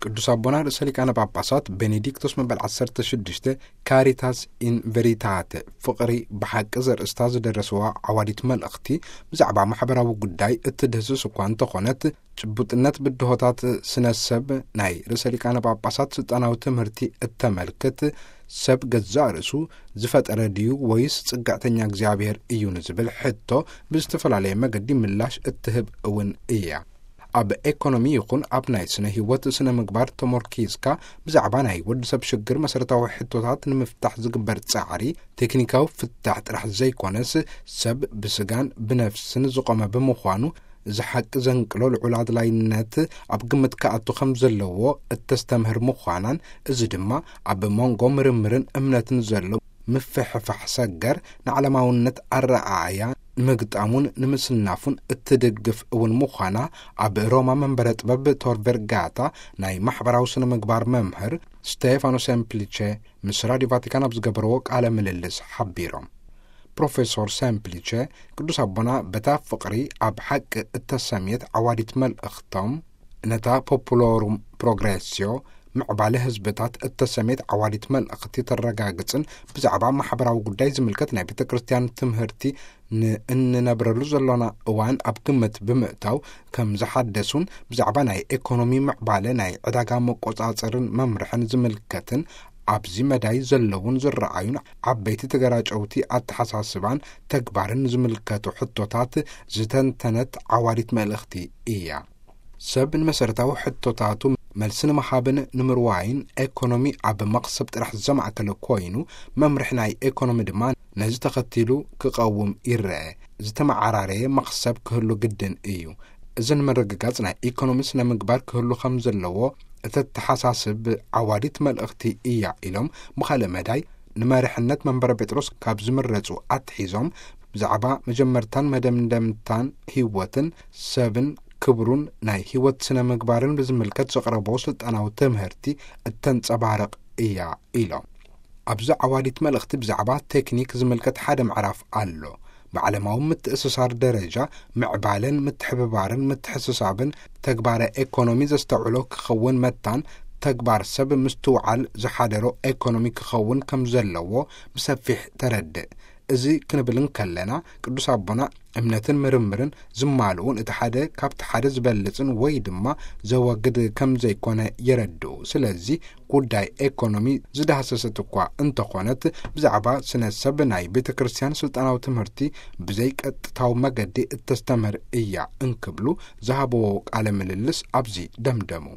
ቅዱስ ኣቦና ርእሰ ሊቃነ ጳጳሳት ቤኔዲክቶስ መበል ዓሰርተ ሽዱሽተ ካሪታስ ኢን ቨሪታተ፣ ፍቕሪ ብሓቂ ዘርእስታ ዝደረስዋ ዓዋዲት መልእኽቲ፣ ብዛዕባ ማሕበራዊ ጉዳይ እትድህስስ እኳ እንተኾነት፣ ጭቡጥነት ብድሆታት ስነ ሰብ ናይ ርእሰ ሊቃነ ጳጳሳት ስልጣናዊ ትምህርቲ እተመልክት፣ ሰብ ገዛእ ርእሱ ዝፈጠረ ድዩ ወይስ ጽግዕተኛ እግዚኣብሔር እዩ ንዝብል ሕቶ ብዝተፈላለየ መገዲ ምላሽ እትህብ እውን እያ። ኣብ ኤኮኖሚ ይኹን ኣብ ናይ ስነ ህይወት ስነ ምግባር ተሞርኪዝካ ብዛዕባ ናይ ወዲ ሰብ ሽግር መሰረታዊ ሕቶታት ንምፍታሕ ዝግበር ጻዕሪ ቴክኒካዊ ፍታሕ ጥራሕ ዘይኮነስ ሰብ ብስጋን ብነፍስን ዝቆመ ብምዃኑ እዚ ሓቂ ዘንቅሎ ልዑል ኣድላይነት ኣብ ግምት ክኣቱ ከም ዘለዎ እተስተምህር ምዃናን፣ እዚ ድማ ኣብ መንጎ ምርምርን እምነትን ዘሎ ምፍሕፋሕ ሰገር ንዓለማውነት ኣረኣእያ ንምግጣሙን ንምስናፉን እትድግፍ እውን ምዃና ኣብ ሮማ መንበረ ጥበብ ቶር ቨርጋታ ናይ ማሕበራዊ ስነ ምግባር መምህር ስቴፋኖ ሴምፕሊቼ ምስ ራዲዮ ቫቲካን ኣብ ዝገበርዎ ቃለ ምልልስ ሓቢሮም። ፕሮፌሶር ሴምፕሊቼ ቅዱስ ኣቦና በታ ፍቕሪ ኣብ ሓቂ እተሰምየት ዓዋዲት መልእኽቶም፣ ነታ ፖፑሎሩም ፕሮግሬስዮ ምዕባለ ህዝብታት እተሰምየት ዓዋዲት መልእኽቲ ተረጋግጽን ብዛዕባ ማሕበራዊ ጉዳይ ዝምልከት ናይ ቤተ ክርስቲያን ትምህርቲ ንእንነብረሉ ዘሎና እዋን ኣብ ግምት ብምእታው ከም ዝሓደሱን ብዛዕባ ናይ ኤኮኖሚ ምዕባለ ናይ ዕዳጋ መቆጻጸርን መምርሕን ዝምልከትን ኣብዚ መዳይ ዘለውን ዝረኣዩን ዓበይቲ ተገራጨውቲ ኣተሓሳስባን ተግባርን ዝምልከቱ ሕቶታት ዝተንተነት ዓዋዲት መልእኽቲ እያ። ሰብ ንመሰረታዊ ሕቶታቱ መልሲ ንምሃብን ንምርዋይን ኤኮኖሚ ኣብ መኽሰብ ጥራሕ ዘማእከለ ኮይኑ መምርሒ ናይ ኤኮኖሚ ድማ ነዚ ተኸቲሉ ክቐውም ይረአ። ዝተመዓራረየ መኽሰብ ክህሉ ግድን እዩ። እዚ ንምርግጋጽ ናይ ኢኮኖሚ ስነ ምግባር ክህሉ ከም ዘለዎ እተተሓሳስብ ዓዋዲት መልእኽቲ እያ ኢሎም ብኻልእ መዳይ ንመሪሕነት መንበረ ጴጥሮስ ካብ ዝምረጹ ኣትሒዞም ብዛዕባ መጀመርታን መደምደምታን ህይወትን ሰብን ክብሩን ናይ ህይወት ስነ ምግባርን ብዝምልከት ዘቕረቦ ስልጣናዊ ትምህርቲ እተንጸባርቕ እያ ኢሎም። ኣብዚ ዓዋዲት መልእኽቲ ብዛዕባ ቴክኒክ ዝምልከት ሓደ ምዕራፍ ኣሎ። ብዓለማዊ ምትእስሳር ደረጃ ምዕባለን ምትሕብባርን ምትሕስሳብን ተግባረ ኤኮኖሚ ዘስተውዕሎ ክኸውን መታን ተግባር ሰብ ምስትውዓል ዝሓደሮ ኤኮኖሚ ክኸውን ከም ዘለዎ ብሰፊሕ ተረድእ። እዚ ክንብል እንከለና ቅዱስ ኣቦና እምነትን ምርምርን ዝማልኡን እቲ ሓደ ካብቲ ሓደ ዝበልጽን ወይ ድማ ዘወግድ ከም ዘይኮነ የረድኡ። ስለዚ ጉዳይ ኤኮኖሚ ዝዳህሰሰት እኳ እንተኾነት ብዛዕባ ስነ ሰብ ናይ ቤተ ክርስቲያን ስልጣናዊ ትምህርቲ ብዘይቀጥታዊ መገዲ እተስተምህር እያ እንክብሉ ዝሃብዎ ቃለ ምልልስ ኣብዚ ደምደሙ።